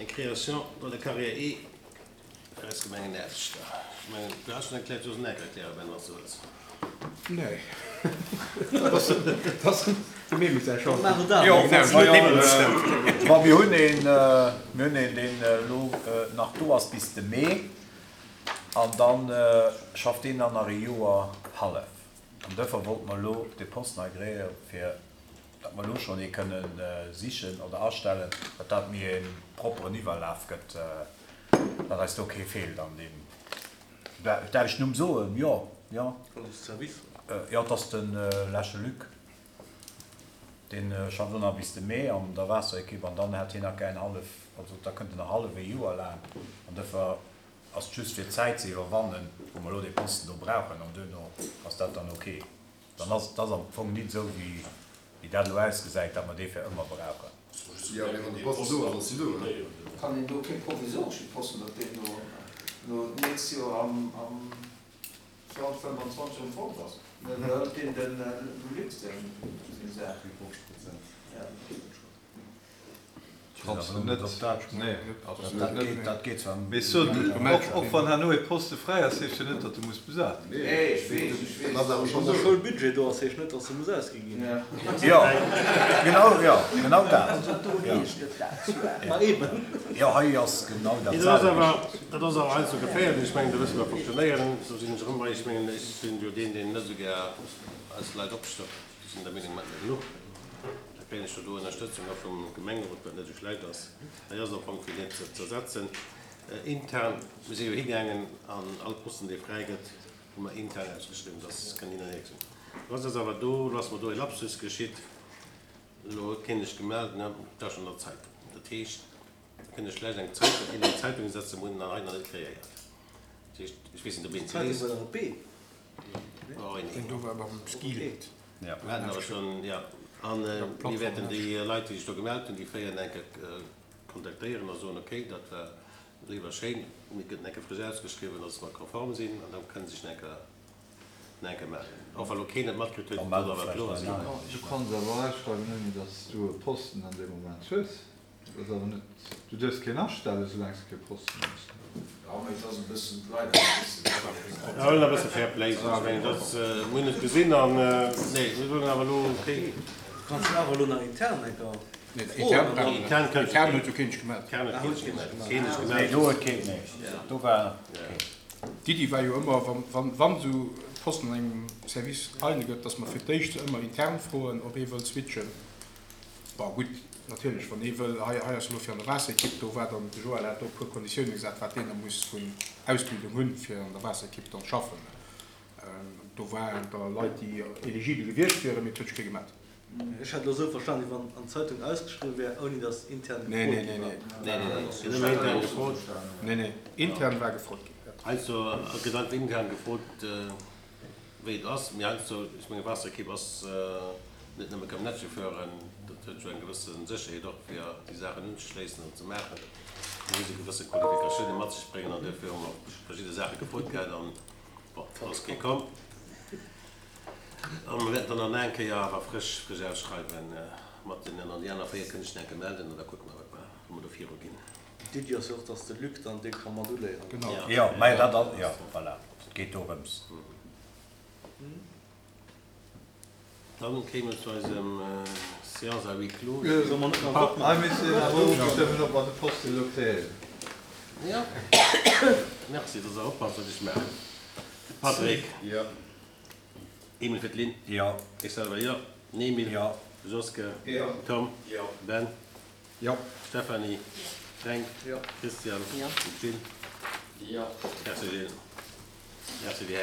Eng Création dans la carrière E fir eis Gemengenaarbechter. Ech mengen, du has schonn erkläert, du soss en erklären, Ben, wann s du wëlls. Nee. Dat ass dem Emil säi Choix. Bon, mir hunn een, mir hunn een, deen elo nach do ass bis de Mee. An da schafft deen dann nach ee Joer hallef. An duerfir wollte mer elo dee Posten hei kréie fir datt mer elo schonn ee kënne sichen oder astellen, datt dat méi e propperen Iwwerlaf gëtt, datt eis do kee feelt an deem. Darf ech den Numm soen? Jo, jo. Jo, et ass de Lesche Luc. Dee schafft elo nach bis de Mee an der Waasserekipp an dann hätt hien nach gär en hallef, also da kënnt en nach hallef ee Joer laang an duerfir ass et just fir d'Zäit ze iwwerwannen, wou mer elo dee Posten do brauchen an duerno ass dat dann ok. Dann ass et ass am Fong nit esou wéi wéi dat elo ausgesäit, datt mer dee fir ëmmer brauchen. Jo, mee wann de Posten do ass, ass en do, ne? Kann een do kee provisoresche Posten, datt deen do no d'nächst Joer am am 2025 erëm fort ass? Oder hëlt deen dem Luc seng seng Saach? Ja. Och wann herno ee Poste fräi ass, heescht jo net, datt e muss besat ginn. Wann de Schoulbudget do ass, heescht net, datt e muss ausgi ginn. Jo, genau, jo, genau dat. Ma eben. Jo, hei ass genau dat selwecht. Dat ass awer heiansdo geféierlech. Ech mengen, do wësse mer fonctionnéieren. Do sinn ech erëm bei. Ech mengen, ech sinn jo deen, deen net esou gär eis Leit opstockt. Ech sinn der Meenung, mer hätten der genuch. Da kréien ech jo do Ënnerstëtzung och vum Gemengerot, wat net esou schlecht ass. Hei ass am Fong fir net ze zersetzen. Intern, mir si jo higaangen an all Posten, dee fräi gëtt, hu mer intern ausgeschriwwen, dass kënn hin an hier gesinn. Lo ass awer do, lo ass mer do e Lapsus geschitt, elo huet keen sech gemellt, ne, dat ass schonn an der Zeitung. Dat heescht, da kënnt ech schlecht eng Zeitung, een an d'Zeitung setzen, mir hunn en hei nach net kreéiert. Dat heescht, ech weess net, ob een se liest. D'Zeitung war nach op B. Do war beim Ski. Mir haten awer schonn, jo. A mir wäerten déi Leit, déi sech do gemellt hunn, déi 4 eng Kéier kontaktéieren a soen, okay, dat war léif a schéin, mee et gëtt eng Kéier frësch ausgeschriwwen, dass mer konform sinn, an da kënne se sech nach eng Kéier, nach eng Kéier mellen. Och wa lo keen et matkritt huet, et soll awer kloer sinn. Du kanns awer ausschreiwen, ouni datt s du e Posten an deem Moment hues. Dat ass awer net, du duerfs keen astellen, soulaang s de kee Posten hues. Jo, mee et ass e bëssen, d'Leit ass e bëssen fair play. Mir wëllen e bësse fair play sinn. Ech mengen, dat, mir hunn et gesinn an, nee, mir soen awer elo, okay. Du kanns jo awer elo nach intern eng Kéier froen. Intern kënnt Intern huet jo keen sech gemellt. Intern huet keen sech gemellt. Keen sech gemellt. Nee, do huet keen, nee, do war keen. D'Iddi war jo ëmmer, wann, wann esou Posten an engem Service eine gëtt, dass mer fir d'éischt se ëmmer intern froen, ob ee wëllt switchen. Bon, gutt, natierlech, wann ee wëll, hei, hei ass elo fir an der Waasserekipp, do war dann, de Joël hat do e puer Konditioune gesat, wat deen da muss vun Ausbildung hunn, fir an der Waasserekipp dann schaffen. Do waren da Leit, déi eligibel gewiescht wieren, mee et huet sech kee gemellt. Ech hat elo esou verstanen, wéi wann an d'Zeitung ausgeschriwwen wär, ouni datt intern gefrot gi war. Nee, nee, nee, nee, nee, intern gefrot. Nee, nee, intern war gefrot ginn. Heiansdo gëtt einfach intern gefrot. Wéi et ass, mee heiansdo, ech menge Waasserekipp ass net nëmme Camionnettechauffueren, dat huet jo eng gewësse Sécherheet och fir déi Saachen unzeschléissen an ze maachen. Do muss e gewësse Qualifikatioune mat sech bréngen an duerfir hu mer och verschidde Saache gefrot gehat an, bon, do ass kee komm. A mer wäerten dann nach eng Kéier awer frësch, frësch ausschreiwen mat deenen an déi aner 4 kënne sech nach eng Kéier melden an da kucke mer, wat mer, wou mer do viruginn. D'Iddi ass jo och, dass de Luc dann dee ka mat uléieren. Genau. Jo, mä dat ass, jo, voilà, et geet dorëms. Dann kéime mer zu eisem Séance à huis clos. Solle mer net nach e Vott maachen? Hei misst een awer ofstëmmen, ob mer de Posten elo kréien. Jo. Merci, dass Der oppasst, wat ech maachen. Patrick. Jo. Emil fir d'Lynn. Jo. Ech selwer jo. Emil. Jo. Joske. Jo. Tom. Jo. Ben. Jo. Stéphanie. Fränk. Jo. Christian. Jo. Gilles. Jo. Merci Gilles. Merci déi Hären.